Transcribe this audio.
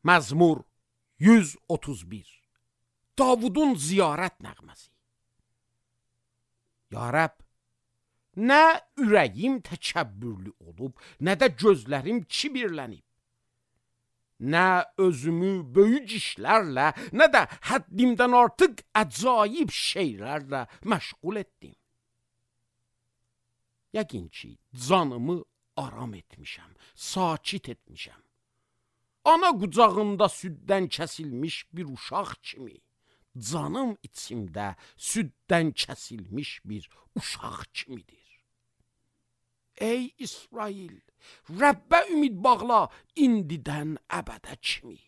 Məzmur 131. Davudun ziyarət nəğməsi. Ya Rəbb, nə ürəyim təkəbbürlü olub, nə də gözlərim kibirlənib. Nə özümü böyük işlərlə, nə də həddimdən artıq əcaib şeylərlə məşğul etdim. Yəqin ki, canımı aram etmişəm, sakit etmişəm. Ana qucağında süddən kəsilmiş bir uşaq kimi, canım içimdə süddən kəsilmiş bir uşaq kimidir. Ey İsrail, Rəbbə ümid bağla indidən əbədə kimi.